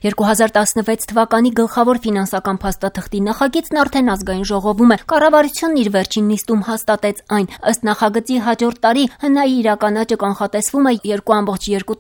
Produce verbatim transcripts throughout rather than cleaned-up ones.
երկու հազար տասնվեց թվականի գլխավոր ֆինանսական փաստաթղթի նախագիծն արդեն ազգային ժողովում է։ Կառավարությունն իր վերջին նիստում հաստատեց այն։ Ըստ նախագծի հաջորդ տարի ՀՆԱ-ի իրականաճը կանխատեսվում է երկու կόμma երկու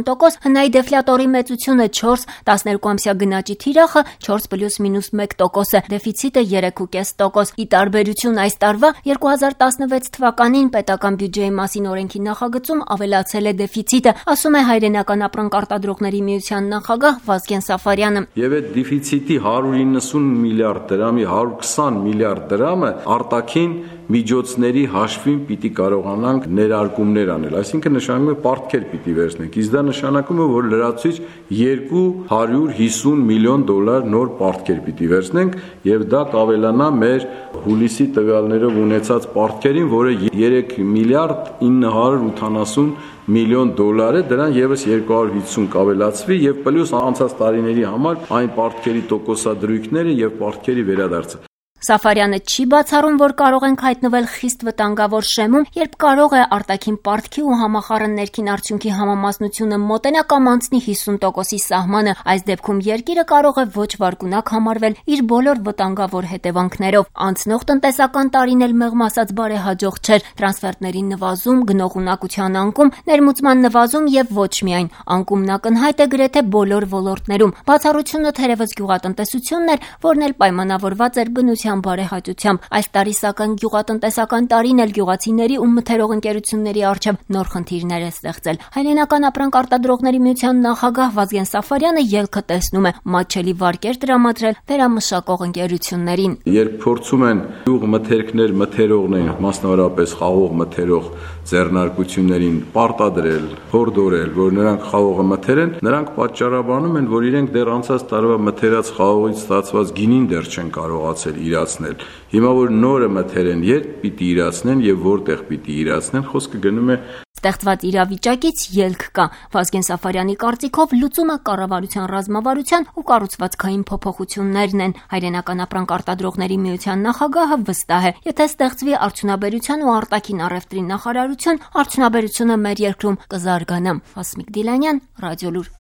տոկոս, ՀՆԱ-ի դեֆլյատորի մեծությունը չորս, տասներկուամսյա գնաճի թիրախը չորս պլյուս մինուս մեկ տոկոս է, դեֆիցիտը երեք կόμma պենս տոկոս։ Ի տարբերություն այս տարվա երկու հազար տասնվեց թվականին պետական բյուջեի մասին օրենքի նախագծում ավելացել է դեֆիցիտը, ասում է Հայրենական ապրանք արտադրողների միության նախագահ Վազգեն Սաֆարյանը։ Եվ այդ դեֆիցիտի հարյուր իննսուն միլիարդ դրամի հարյուր քսան միլիարդ դրամը արտաքին միջոցների հաշվին պիտի կարողանանք ներարկումներ անել, այսինքն նշանակում է պարտքեր պիտի վերցնենք, իսկ դա նշանակում է, որ լրացուցիչ երկու հարյուր հիսուն միլիոն դոլար նոր պարտքեր պիտի վերցնենք եւ դա կավելանա մեր հուլիսի տվյալներով ունեցած պարտքերին, որը երեք միլիարդ ինը հարյուր ութանասուն միլիոն դոլար է, դրան եւս երկու հարյուր հիսուն կավելացվի եւ պլյուս անցած տարիների համար այն պարտքերի տոկոսադրույքները եւ պարտքերի վերադարձը։ Սաֆարյանը չի բացառում, որ կարող ենք հայտնվել խիստ վտանգավոր շեմում, երբ կարող է արտաքին պարտքի ու համախառն ներքին արդյունքի համամասնությունը մոտենա կամ անցնի հիսուն տոկոսի սահմանը։ Այս դեպքում երկիրը կարող է ոչ վարկունակ համարվել իր բոլոր վտանգավոր հետևանքներով։ Անցնող տնտեսական տարին էլ մեղմ ասած բարեհաջող չէր։ Տրանսֆերտների նվազում, գնողունակության անկում, ներմուծման նվազում եւ ոչ միայն անկումն ակնհայտ է գրեթե բոլոր ոլորտներում։ Բացառությունը թերևս գյուղատնտեսությունն էր, որն էլ պայմանավորված էր բնության բարեհաճությամբ։ Այս տարի սակայն գյուղատնտեսական տարին էլ գյուղացիների ու մթերող ընկերությունների առջև նոր խնդիրներ է ստեղծել։ Հայրենական ապրանք արտադրողների միության նախագահ Վազգեն Սաֆարյանը ելքը տեսնում է մատչելի վարկեր տրամադրել վերամշակող ընկերություններին։ Երբ փորձում են գյուղ մթերքներ մթերողներին, մասնավորապես խաղող մթերող ձեռնարկություններին պարտադրել, հորդորել, որ նրանք խաղողը մթերեն, նրանք պատճառաբանում են, որ իրենք դեռ անցած տարվա մթերած խաղողից ստացված գինին դեռ չեն կարողացել իրացնել։ Հիմա որ նորը մթերեն, երբ պիտի իրացնեն եւ որտեղ պիտի իրացնեն, խոսքը գնում է ստեղծված իրավիճակից ելք կա։ Վազգեն Սաֆարյանի կարծիքով լուծումը կառավարության ռազմավարության ու կառուցվածքային փոփոխություններն են։ Հայրենական ապրանք արտադրողների միության նախագահը վստահ է, եթե ստեղծվի արդյունաբերության ու արտաքին առևտրի նախարարություն, արդյունաբերությունը մեր երկրում կզարգանա։ Հասմիկ Դիլանյան, Ռադիոլուր։